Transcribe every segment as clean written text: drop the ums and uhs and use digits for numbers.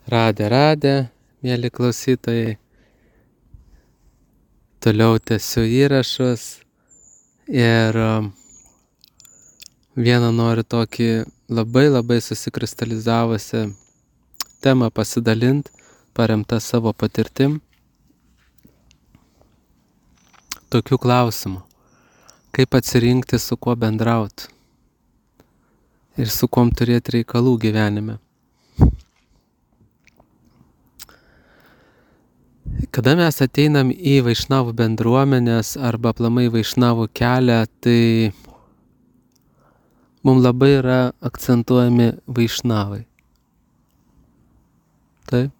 Radę, mėly klausytojai. Toliau tęsiu įrašus ir vieną noriu tokį labai susikristalizavusią temą pasidalinti, paremtą savo patirtim. Tokių klausimų. Kaip atsirinkti, su kuo bendrauti ir su kuom turėti reikalų gyvenime. Kada mes ateinam į vaišnavų bendruomenės arba aplamai vaišnavų kelią, tai mums labai yra akcentuojami vaišnavai. Taip.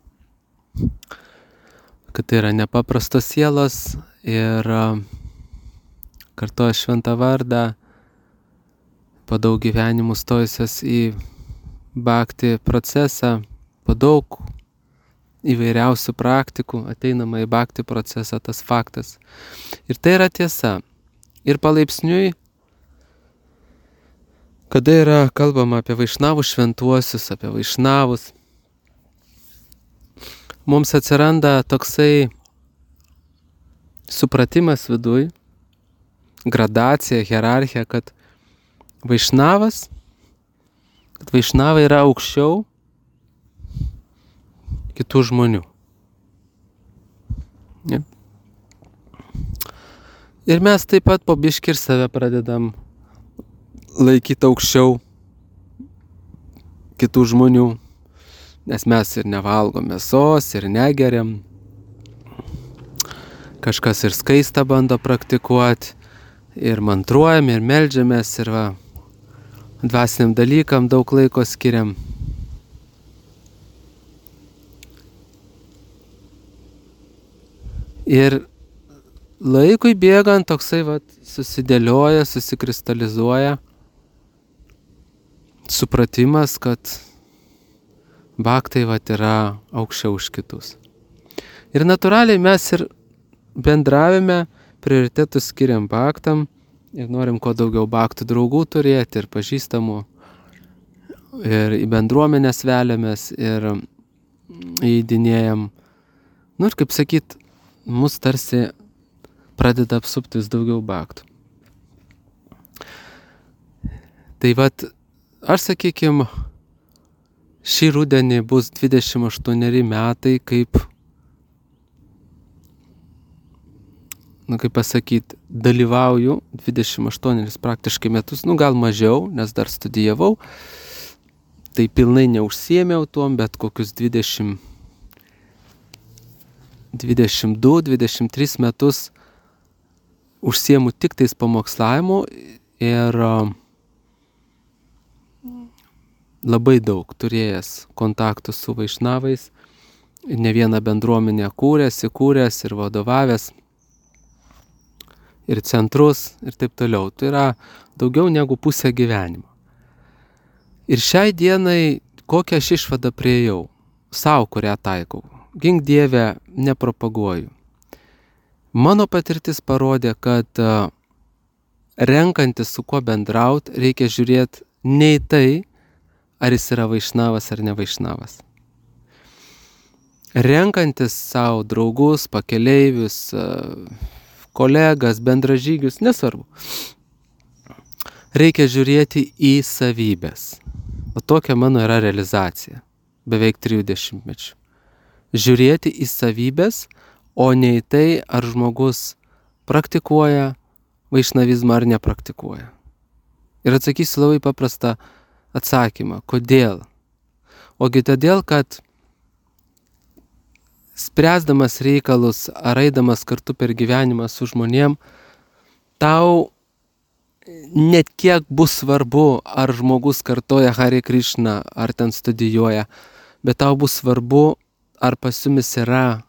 Kad tai yra nepaprastos sielos ir kartoja šventą vardą, po daug gyvenimų stojusios į bhakti procesą, po daug įvairiausių praktikų ateinama į bhakti procesą, tas faktas. Ir tai yra tiesa. Ir palaipsniui, kada yra kalbama apie vaišnavų šventuosius, apie vaišnavus, mums atsiranda toksai supratimas viduj, gradacija, hierarchija, kad vaišnavai yra aukščiau kitų žmonių. Ja. Ir mes taip pat po biškį ir save pradedam laikyti aukščiau kitų žmonių, nes mes ir nevalgom mėsos, ir negeriam. Kažkas ir skaistą bando praktikuoti, ir mantruojam, ir meldžiamės, ir dvasiniam dalykam daug laiko skiriam. Ir laikui bėgant toksai susidėlioja, susikristalizuoja supratimas, kad bhaktai yra aukščiau už kitus. Ir natūraliai mes ir bendravime prioritetus skiriam bhaktam ir norim kuo daugiau bhaktų draugų turėti ir pažįstamų. Ir į bendruomenės veliamės ir įeidinėjam. Ir kaip sakyt, mus tarsi pradeda apsuptis daugiau bhaktų. Tai aš sakykim, šį rudenį bus 28 metai, kaip pasakyti, dalyvauju 28 praktiškai metus, gal mažiau, nes dar studijavau, tai pilnai neužsiėmiau tuom, bet kokius 22-23 metus užsiemu tik tais pamokslavimu ir labai daug turėjęs kontaktų su vaišnavais, ne vieną bendruomenę įkūręs ir vadovavęs, ir centrus ir taip toliau. Tai yra daugiau negu pusę gyvenimo. Ir šiai dienai kokią aš išvadą priėjau, savo kurią taikau. Gink Dieve, nepropaguoju. Mano patirtis parodė, kad renkantis su kuo bendraut, reikia žiūrėti ne į tai, ar jis yra vaišnavas ar ne vaišnavas. Renkantis savo draugus, pakeleivius, kolegas, bendražygius, nesvarbu. Reikia žiūrėti į savybės. O tokia mano yra realizacija, beveik 30 mečių. Žiūrėti į savybės, o ne į tai, ar žmogus praktikuoja vaišnavizmą ar nepraktikuoja. Ir atsakysiu labai paprastą atsakymą. Kodėl? Ogi todėl, kad spręsdamas reikalus ar eidamas kartu per gyvenimą su žmonėm, tau net kiek bus svarbu, ar žmogus kartoja Hare Krishna, ar ten studijuoja, bet tau bus svarbu, ar pas jumis yra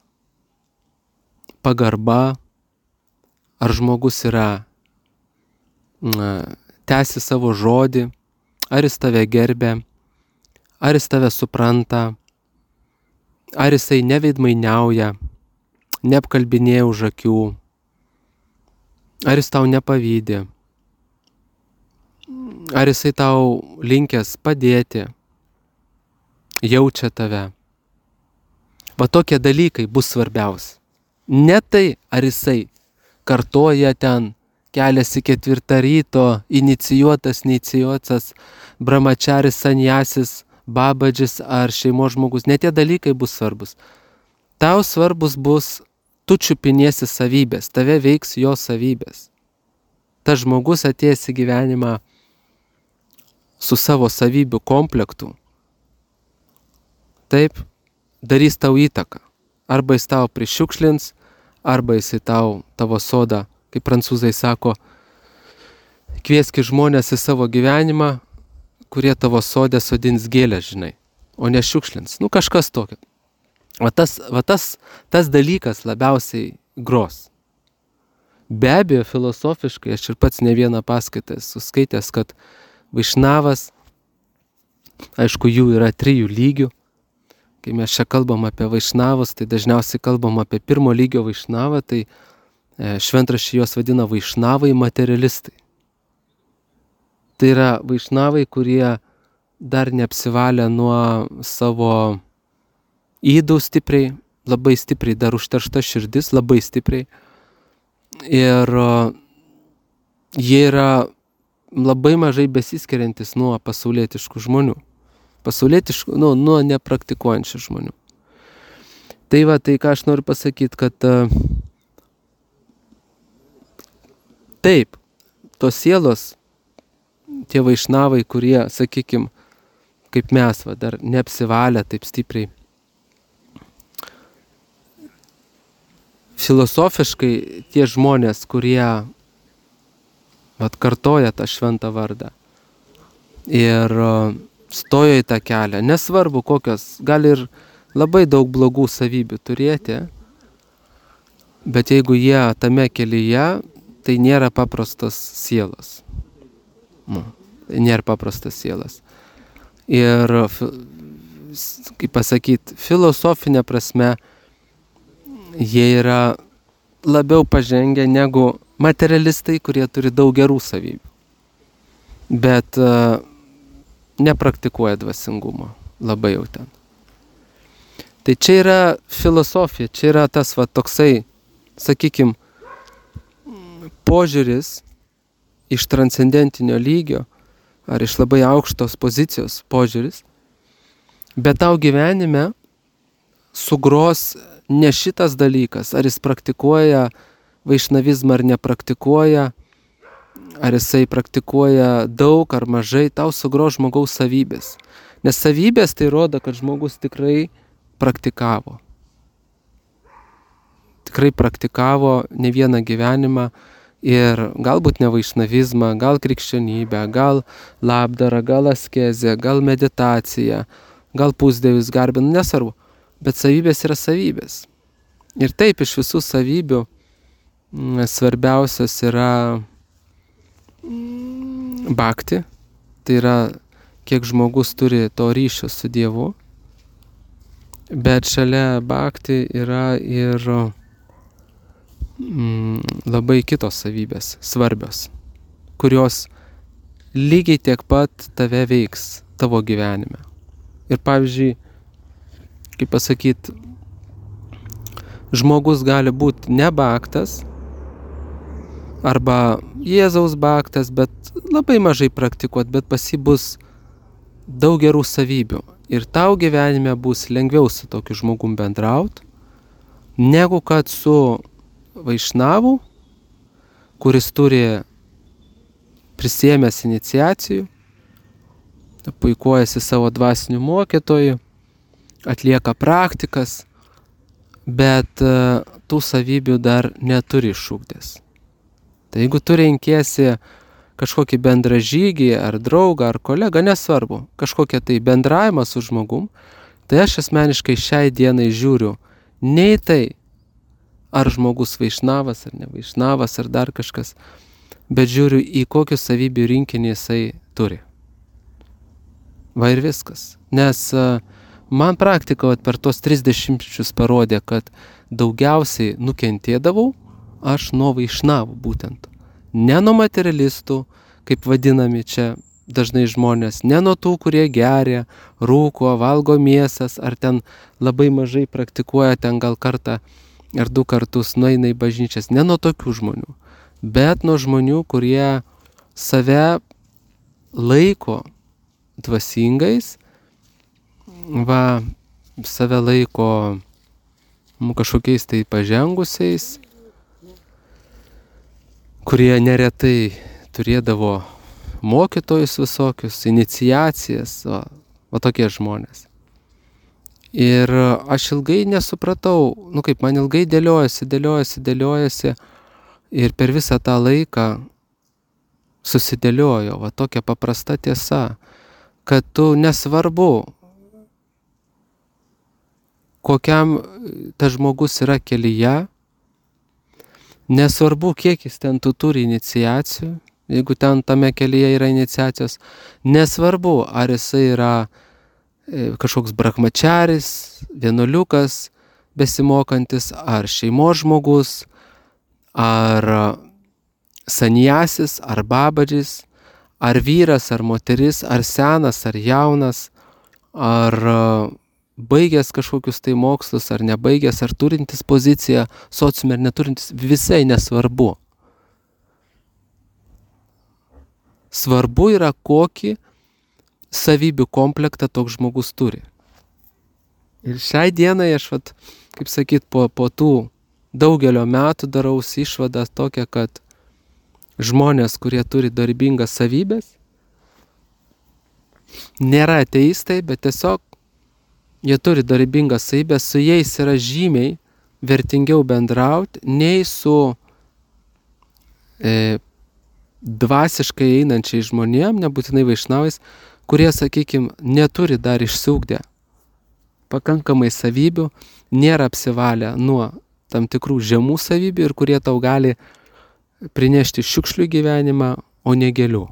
pagarba, ar žmogus yra tęsi savo žodį, ar jis tave gerbia, ar jis tave supranta, ar jisai neveidmainiauja, neapkalbinėja už akių, ar jis tau nepavydi, ar jisai tau linkęs padėti, jaučia tave. Va tokie dalykai bus svarbiausi. Ne tai, ar jisai kartoja ten, keliasi 4 ryto, inicijuotas, neinicijuotas, brahmačaris, sanjasis, babadžis ar šeimos žmogus. Ne tie dalykai bus svarbus. Tau svarbus bus, tu čiupinėsi savybės, tave veiks jo savybės. Tas žmogus atėjęs į gyvenimą su savo savybių komplektu, taip, darys tau įtaką. Arba jis tau prišiukšlins, arba jis tavo sodą, kaip prancūzai sako, kvieski žmonės į savo gyvenimą, kurie tavo sodė sodins gėlę, žinai, o ne šiukšlins. Kažkas tokio. Tas dalykas labiausiai gros. Be abejo, filosofiškai, aš ir pats ne vieną paskaitą esu skaitęs, kad vaišnavas, aišku, jų yra 3 lygių. Kai mes čia kalbam apie vaišnavus, tai dažniausiai kalbam apie 1 lygio vaišnavą, tai šventraščiai juos vadina vaišnavai materialistai. Tai yra vaišnavai, kurie dar neapsivalė nuo savo ydų stipriai, labai stipriai, dar užteršta širdis, labai stipriai. Ir jie yra labai mažai besiskiriantis nuo pasaulietiškų žmonių. Nuo nepraktikuojančių žmonių. Tai va, tai ką aš noriu pasakyti, kad taip, tos sielos, tie vaišnavai, kurie, sakykim, kaip mes, dar neapsivalę taip stipriai. Filosofiškai tie žmonės, kurie kartoja tą šventą vardą ir stojo į tą kelią, nesvarbu kokios, gali ir labai daug blogų savybių turėti, bet jeigu jie tame kelyje, tai nėra paprastos sielos. Tai nėra paprastas sielas. Ir, kaip pasakyti, filosofinė prasme, jie yra labiau pažengę negu materialistai, kurie turi daug gerų savybių. Bet nepraktikuoja dvasingumo labai jau ten. Tai čia yra filosofija, čia yra tas toksai, sakykim, požiūris iš transcendentinio lygio ar iš labai aukštos pozicijos požiūris, bet tau gyvenime sugros ne šitas dalykas, ar jis praktikuoja vaišnavizmą ar nepraktikuoja, ar jisai praktikuoja daug ar mažai, tau sugros žmogaus savybės. Nes savybės tai rodo, kad žmogus tikrai praktikavo. Tikrai praktikavo ne vieną gyvenimą ir galbūt ne vaišnavizmą, gal krikščionybę, gal labdarą, gal askezę, gal meditaciją, gal pusdievius garbinų, nesvarbu. Bet savybės yra savybės. Ir taip iš visų savybių svarbiausias yra bhakti, tai yra kiek žmogus turi to ryšio su Dievu, bet šalia bhakti yra ir labai kitos savybės svarbios, kurios lygiai tiek pat tave veiks tavo gyvenime. Ir pavyzdžiui, kaip pasakyti, žmogus gali būti ne bhaktas arba Jėzaus bhaktas, bet labai mažai praktikuot, bet pas jį bus daug gerų savybių. Ir tau gyvenime bus lengviau su tokiu žmogum bendraut, negu kad su vaišnavu, kuris turi prisiėmęs iniciacijų, puikuojasi savo dvasiniu mokytoju, atlieka praktikas, bet tų savybių dar neturi išugdęs. Tai jeigu tu renkiesi kažkokį bendražygį ar draugą ar kolegą, nesvarbu, kažkokią tai bendravimą su žmogum, tai aš asmeniškai šiai dienai žiūriu ne į tai, ar žmogus vaišnavas ar ne vaišnavas ar dar kažkas, bet žiūriu į kokius savybių rinkinį jisai turi. Va ir viskas. Nes man praktika per tos 30 parodė, kad daugiausiai nukentėdavau aš nuo vaišnavų būtent. Ne nuo materialistų, kaip vadinami čia dažnai žmonės, ne nuo tų, kurie geria, rūko, valgo mėsas, ar ten labai mažai praktikuoja, ten gal kartą ar 2 kartus nueina į bažnyčias, ne nuo tokių žmonių, bet nuo žmonių, kurie save laiko dvasingais, save laiko kažkokiais tai pažengusiais, kurie neretai turėdavo mokytojus visokius, iniciacijas, va tokie žmonės. Ir aš ilgai nesupratau, man ilgai dėliojasi ir per visą tą laiką susidėliojo va tokia paprasta tiesa, kad tu nesvarbu, kokiam tas žmogus yra kelyje, nesvarbu, kiek jis ten turi iniciacijų, jeigu ten tame kelyje yra iniciacijos, nesvarbu, ar jisai yra kažkoks brahmačaris, vienuoliukas besimokantis, ar šeimos žmogus, ar sanjasis, ar babadžis, ar vyras, ar moteris, ar senas, ar jaunas, ar baigęs kažkokius tai mokslus, ar nebaigęs, ar turintis poziciją sociume, ar neturintis, visai nesvarbu. Svarbu yra, kokį savybių komplektą toks žmogus turi. Ir šiai dienai aš, kaip sakyt, po tų daugelio metų daraus išvadą tokią, kad žmonės, kurie turi darbingas savybės, nėra ateistai, bet tiesiog jie turi darbingas savybės, su jais yra žymiai vertingiau bendrauti, nei su dvasiškai einančiai žmonėm, nebūtinai vaišnavais, kurie, sakykime, neturi dar išsiugdę pakankamai savybių, nėra apsivalę nuo tam tikrų žemų savybių ir kurie tau gali prinešti šiukšlių gyvenimą, o ne gėlių.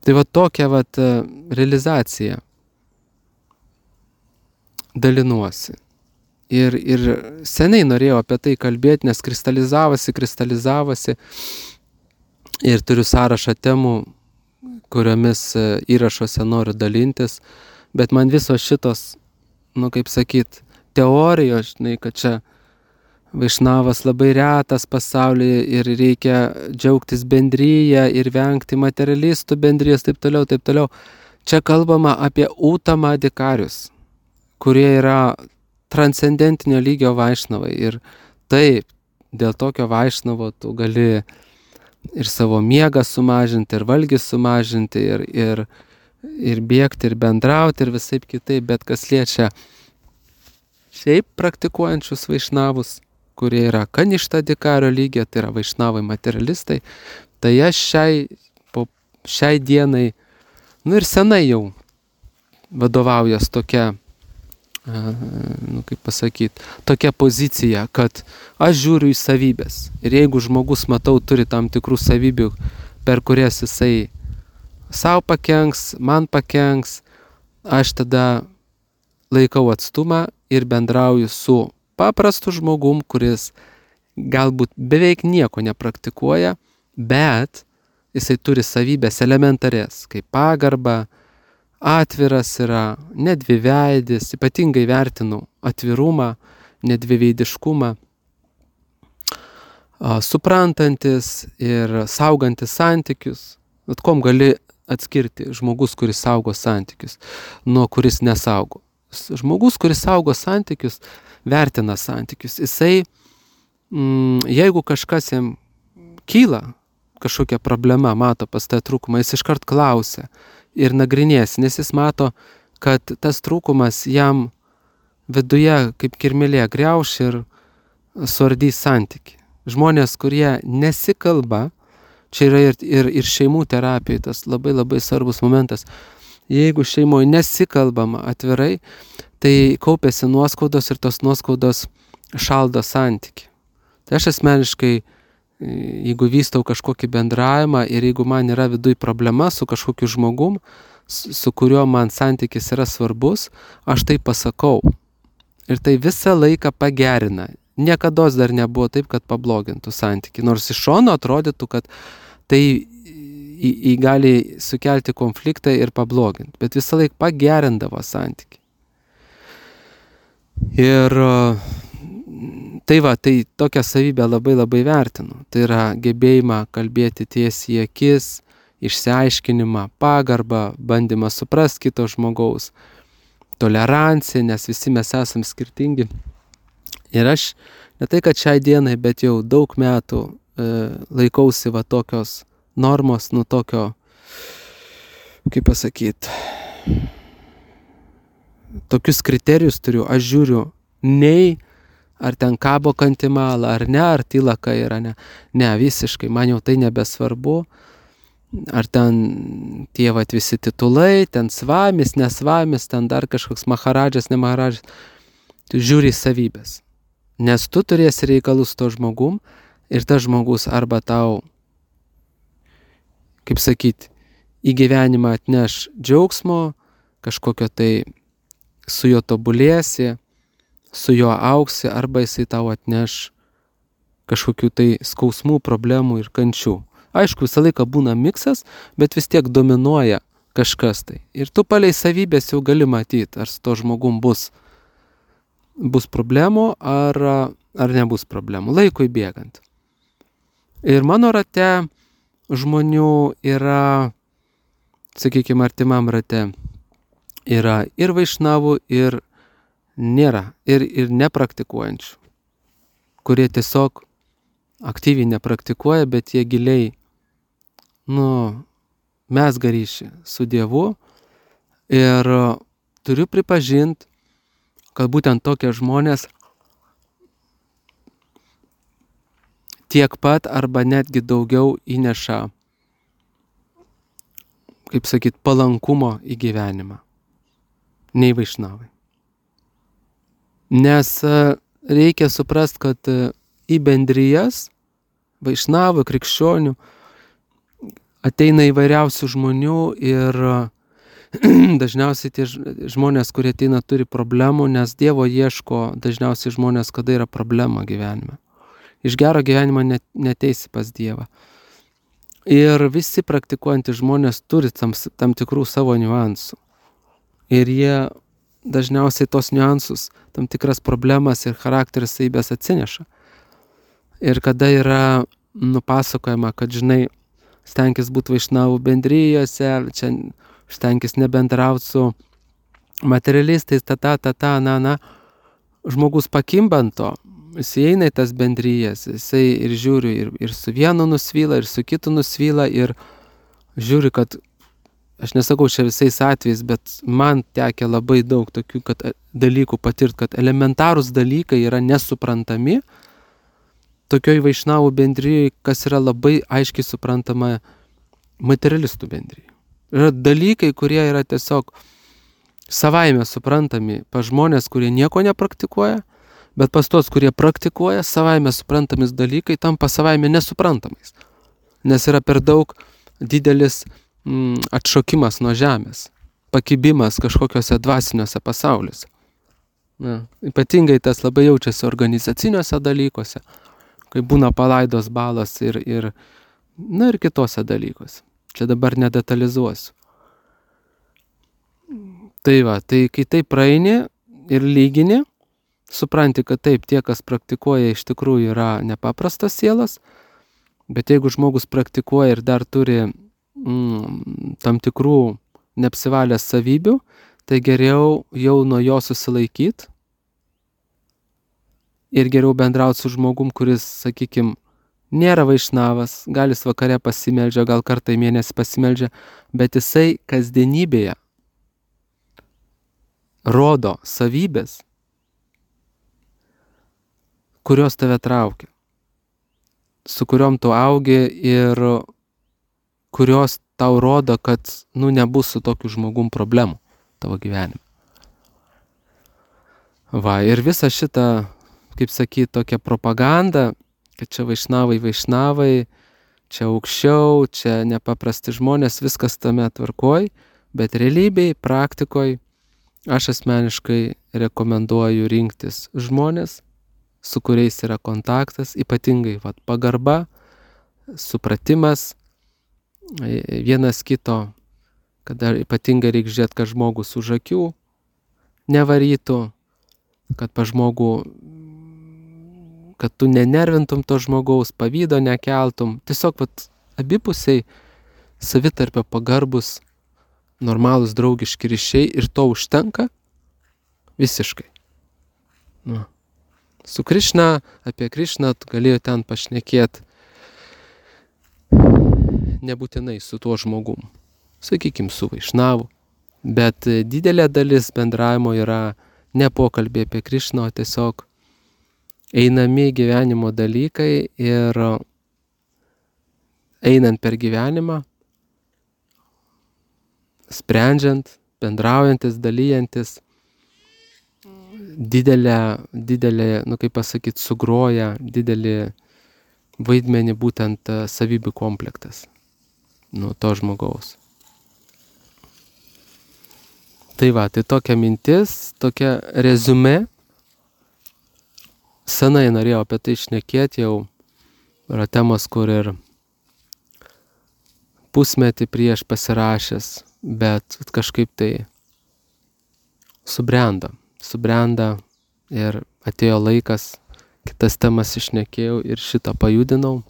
Tai va tokia realizacija dalinuosi. Ir seniai norėjau apie tai kalbėti, nes kristalizavosi ir turiu sąrašą temų, kuriomis įrašuose noriu dalintis, bet man visos šitos, teorijos, kad čia vaišnavas labai retas pasaulyje ir reikia džiaugtis bendryje ir vengti materialistų bendrijos, taip toliau. Čia kalbama apie utamadikarius, kurie yra transcendentinio lygio vaišnavai. Ir taip, dėl tokio vaišnavo tu gali ir savo miegą sumažinti, ir valgį sumažinti, ir bėgti, ir bendrauti, ir visaip kitaip, bet kas liečia šiaip praktikuojančius vaišnavus, kurie yra kaništadikario lygio, tai yra vaišnavai materialistai, tai aš šiai dienai, ir senai jau vadovaujas tokia, tokia pozicija, kad aš žiūriu į savybės. Ir jeigu žmogus, matau, turi tam tikrų savybių, per kurias jisai savo pakenks, man pakenks, aš tada laikau atstumą ir bendrauju su paprastu žmogum, kuris galbūt beveik nieko nepraktikuoja, bet jisai turi savybės elementarės, kaip pagarba, atviras yra, nedviveidis, ypatingai vertinu atvirumą, nedviveidiškumą, suprantantis ir saugantis santykius. Kom gali atskirti žmogus, kuris saugo santykius, nuo kuris nesaugo. Žmogus, kuris saugo santykius, vertina santykius. Jisai, jeigu kažkas jam kyla, kažkokia problema, mato pas tą trūkumą, jis iškart klausia ir nagrinės, nes jis mato, kad tas trūkumas jam viduje kaip kirmėlė griauš ir suardys santykį. Žmonės, kurie nesikalba, čia yra ir šeimų terapijai tas labai labai svarbus momentas. Jeigu šeimoje nesikalbama atvirai, tai kaupiasi nuoskaudos ir tos nuoskaudos šaldo santykį. Tai aš asmeniškai, jeigu vystau kažkokį bendravimą ir jeigu man yra viduj problema su kažkokiu žmogum, su kuriuo man santykis yra svarbus, aš tai pasakau. Ir tai visą laiką pagerina. Niekados dar nebuvo taip, kad pablogintų santykį. Nors iš šono atrodytų, kad tai gali sukelti konfliktą ir pabloginti, bet visą laiką pagerindavo santykį. Ir tai tokią savybę labai labai vertinu. Tai yra gebėjimą kalbėti tiesiai į akis, išsiaiškinimą, pagarbą, bandymą suprasti kito žmogaus, toleranciją, nes visi mes esam skirtingi. Ir aš ne tai, kad šiai dienai, bet jau daug metų laikausi va tokios normos, tokio, kaip pasakyti, tokius kriterijus turiu, aš žiūriu nei ar ten kabo kantimala, ar ne, ar tylaka yra, ne. Ne, visiškai, man jau tai nebesvarbu, ar ten tie vat visi titulai, ten svamis, nesvamis, ten dar kažkoks maharadžas, ne maharadžas. Tu žiūri į savybės, nes tu turėsi reikalus to žmogum ir tas žmogus arba tau, kaip sakyti, į gyvenimą atneš džiaugsmo, kažkokio tai su juo tobulėsi, su juo augsi, arba jisai tau atneš kažkokių tai skausmų, problemų ir kančių. Aišku, visą laiką būna miksas, bet vis tiek dominuoja kažkas tai. Ir tu palei savybės jau gali matyti, ar su to žmogum bus problemų, ar nebus problemų, laikui bėgant. Ir mano rate žmonių yra, sakykime, artimam rate yra ir vaišnavų, ir nėra, ir nepraktikuojančių, kurie tiesiog aktyviai nepraktikuoja, bet jie giliai, mezga ryšį su Dievu. Ir turiu pripažinti, kad būtent tokie žmonės tiek pat arba netgi daugiau įneša, kaip sakyt, palankumo į gyvenimą, nei vaišnavai. Nes reikia suprast, kad į bendrijas, vaišnavų, krikščionių, ateina įvairiausių žmonių ir dažniausiai tie žmonės, kurie ateina, turi problemų, nes Dievo ieško dažniausiai žmonės, kada yra problema gyvenime. Iš gero gyvenimo neteisi pas Dievą. Ir visi praktikuojantys žmonės turi tam tikrų savo niuansų. Ir jie dažniausiai tos niuansus, tam tikras problemas ir charakteris savybės atsineša. Ir kada yra nupasakojama, kad, žinai, stenkis būti vaišnavų bendrijose, čia stenkis nebendrauti su materialistais, žmogus pakimbanto, jis eina į tas bendrijas, jisai ir žiūri, ir su vienu nusvyla, ir su kitu nusvyla, ir žiūri, kad aš nesakau čia visais atvejais, bet man tekia labai daug tokių dalykų patirti, kad elementarūs dalykai yra nesuprantami tokioj vaišnavų bendrijai, kas yra labai aiškiai suprantama materialistų bendrijai. Yra dalykai, kurie yra tiesiog savaime suprantami pas žmonės, kurie nieko nepraktikuoja, bet pas tos, kurie praktikuoja, savaime suprantamis dalykai tampa savaime nesuprantamais. Nes yra per daug didelis atšokimas nuo žemės, pakibimas kažkokiuose dvasiniuose pasauliuose. Ypatingai tas labai jaučiasi organizaciniuose dalykuose, kai būna palaidos balos ir kitose dalykuose. Čia dabar nedetalizuosiu. Tai kai tai praeini ir lygini, supranti, kad taip, tie, kas praktikuoja, iš tikrųjų yra nepaprastas sielas, bet jeigu žmogus praktikuoja ir dar turi tam tikrų neapsivalęs savybių, tai geriau jau nuo jo susilaikyti ir geriau bendrauti su žmogum, kuris, sakykime, nėra vaišnavas, gal jis vakare pasimeldžia, gal kartą į mėnesį pasimeldžia, bet jisai kasdienybėje rodo savybės, kurios tave traukia, su kuriom tu augi ir kurios tau rodo, kad nebus su tokiu žmogum problemų tavo gyvenime. Ir visa šita, kaip sakyti, tokia propaganda, kad čia vaišnavai, čia aukščiau, čia nepaprasti žmonės, viskas tame tvarkoj, bet realybėj, praktikoj, aš asmeniškai rekomenduoju rinktis žmonės, su kuriais yra kontaktas, ypatingai pagarba, supratimas vienas kito, kada ypatingai reikia žiūrėti, kad žmogus už akių nevarytų, kad kad tu nenervintum to žmogaus, pavydo nekeltum. Tiesiog abipusiai savitarpio pagarbus, normalūs draugiški ryšiai ir to užtenka visiškai. Nu. Su Krišna, apie Krišną galėjo ten pašnekėti nebūtinai su tuo žmogum, sakykim, su Vaišnavu, bet didelė dalis bendravimo yra ne pokalbė apie Krišną, o tiesiog einami gyvenimo dalykai ir einant per gyvenimą, sprendžiant, bendraujantis, dalyjantis, didelė, kaip pasakyti, sugroja didelį vaidmenį būtent savybių komplektas nuo to žmogaus. Tai tokia mintis, tokia reziumė. Senai norėjau apie tai šnekėti, jau yra temos, kur ir pusmetį prieš pasirašęs, bet kažkaip tai subrenda ir atėjo laikas, kitas temas išnekėjau ir šitą pajudinau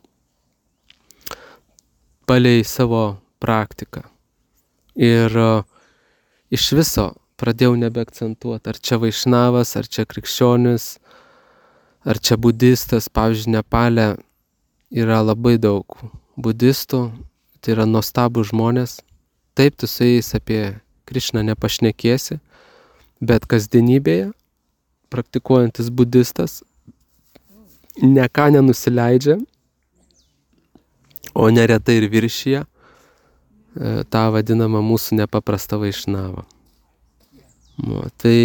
palei savo praktiką. Ir iš viso pradėjau nebeakcentuoti, ar čia Vaišnavas, ar čia krikščionis, ar čia budistas. Pavyzdžiui, Nepale yra labai daug budistų, tai yra nuostabų žmonės. Taip, tu su jais apie Krišną nepašnekėsi, bet kasdienybėje praktikuojantis budistas ne ką nenusileidžia, o neretai ir viršyje tą vadinamą mūsų nepaprastą Vaišnavą. Tai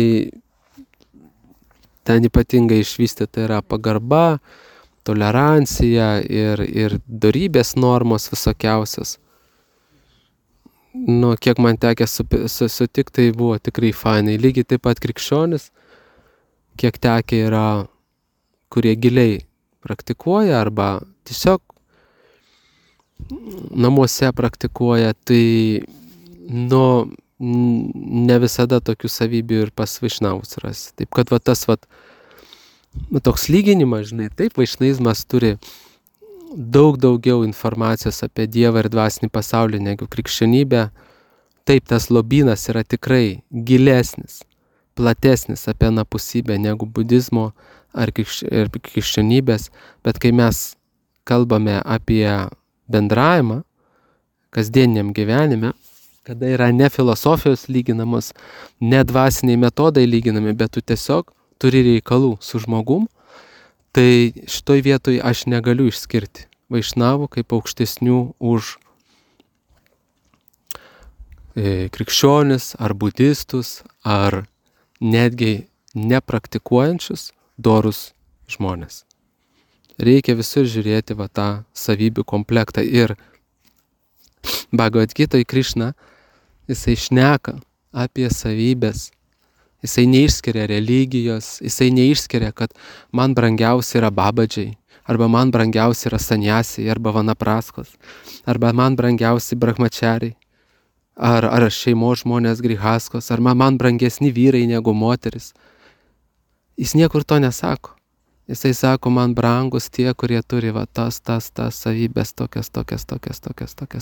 ten ypatingai išvystyta yra pagarba, tolerancija ir dorybės normos visokiausios. Kiek man tekė sutikti, tai buvo tikrai fainai. Lygiai taip pat krikščionis, kiek tekė yra, kurie giliai praktikuoja arba tiesiog namuose praktikuoja, tai ne visada tokių savybių ir pas Vaišnavus rasi. Taip kad tas toks lyginimas, žinai, taip, vaišnavizmas turi daug daugiau informacijos apie Dievą ir dvasinį pasaulį negu krikščionybė. Taip, tas lobynas yra tikrai gilesnis, platesnis apie anapusybę negu budizmo ar krikščionybės, bet kai mes kalbame apie bendravimą kasdieniam gyvenime, kada yra ne filosofijos lyginamos, ne dvasiniai metodai lyginami, bet tu tiesiog turi reikalų su žmogum, tai šitoj vietoj aš negaliu išskirti Vaišnavų kaip aukštesnių už krikščionis ar budistus, ar netgi nepraktikuojančius dorus žmonės. Reikia visur žiūrėti tą savybių komplektą. Ir Bhagavad Gitoj Krišna, jisai šneka apie savybės. Jisai neišskiria religijos, jisai neišskiria, kad man brangiausia yra babadžiai, arba man brangiausia yra sanjasiai, arba vanapraskos, arba man brangiausi brahmačariai, ar šeimos žmonės grihaskos, ar man brangesni vyrai negu moteris. Jis niekur to nesako. Jisai sako, man brangus tie, kurie turi tas savybės, tokias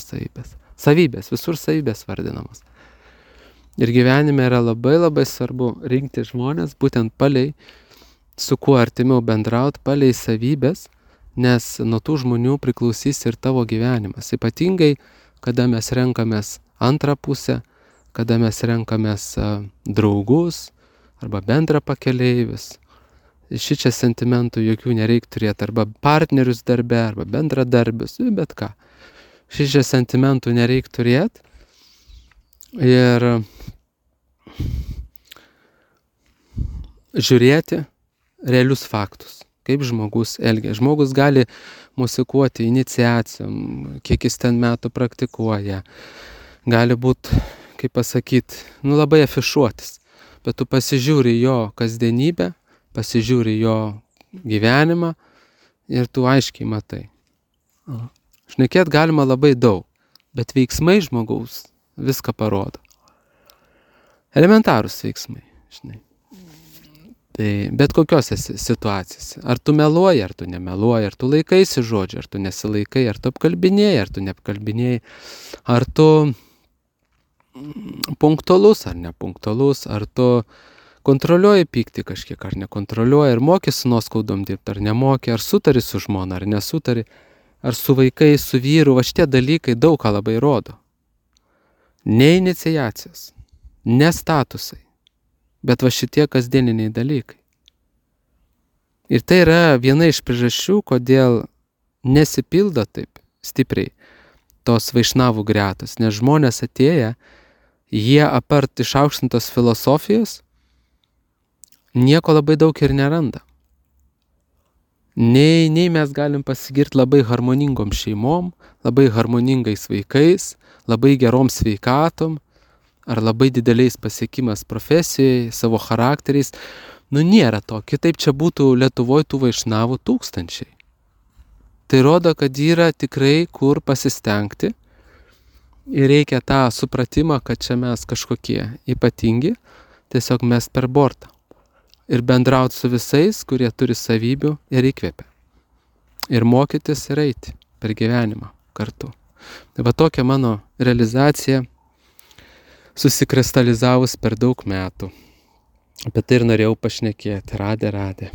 savybės. Savybės, visur savybės vardinamos. Ir gyvenime yra labai labai svarbu rinkti žmonės, būtent palei, su kuo artimiau bendrauti, palei savybės, nes nuo tų žmonių priklausys ir tavo gyvenimas. Ypatingai, kada mes renkamės antrą pusę, kada mes renkamės draugus arba bendra pakeleivis. Šičia sentimentų jokių nereik turėti, arba partnerius darbe, arba bendradarbius, bet ką. Šičia sentimentų nereik turėti ir žiūrėti realius faktus, kaip žmogus elgia. Žmogus gali musikuoti iniciacijom, kiek jis ten metų praktikuoja. Gali būti, kaip pasakyti, labai afišuotis, bet tu pasižiūri jo kasdienybę, pasižiūri jo gyvenimą ir tu aiškiai matai. Šnekėt galima labai daug, bet veiksmai žmogaus viską parodo. Elementarūs veiksmai, žinai. Tai bet kokiose situacijose. Ar tu meluoji, ar tu nemeluoji, ar tu laikaisi žodžio, ar tu nesilaikai, ar tu apkalbinėjai, ar tu neapkalbinėjai, ar tu punktualus, ar nepunktualus, ar tu kontroliuoji pyktį kažkiek, ar nekontroliuoji, ar moki su nuoskaudom dirbti, ar nemoki, ar sutari su žmona, ar nesutari, ar su vaikais, su vyru, va šitie dalykai daug ką labai rodo. Ne iniciacijos, ne statusai, bet va šitie kasdieniniai dalykai. Ir tai yra viena iš priežasčių, kodėl nesipildo taip stipriai tos vaišnavų gretos, nes žmonės atėję, jie apart išaukštintos filosofijos, nieko labai daug ir neranda. Nei mes galim pasigirti labai harmoningom šeimom, labai harmoningais vaikais, labai gerom sveikatom, ar labai dideliais pasiekimas profesijai, savo charakteriais. Nėra to. Kitaip čia būtų Lietuvoje tų vaišnavų tūkstančiai. Tai rodo, kad yra tikrai kur pasistengti ir reikia tą supratimą, kad čia mes kažkokie ypatingi, tiesiog mest per bortą. Ir bendrauti su visais, kurie turi savybių ir įkvepia. Ir mokytis ir eiti per gyvenimą kartu. Tai va tokia mano realizacija susikristalizavus per daug metų. Apie tai ir norėjau pašnekėti. Radė.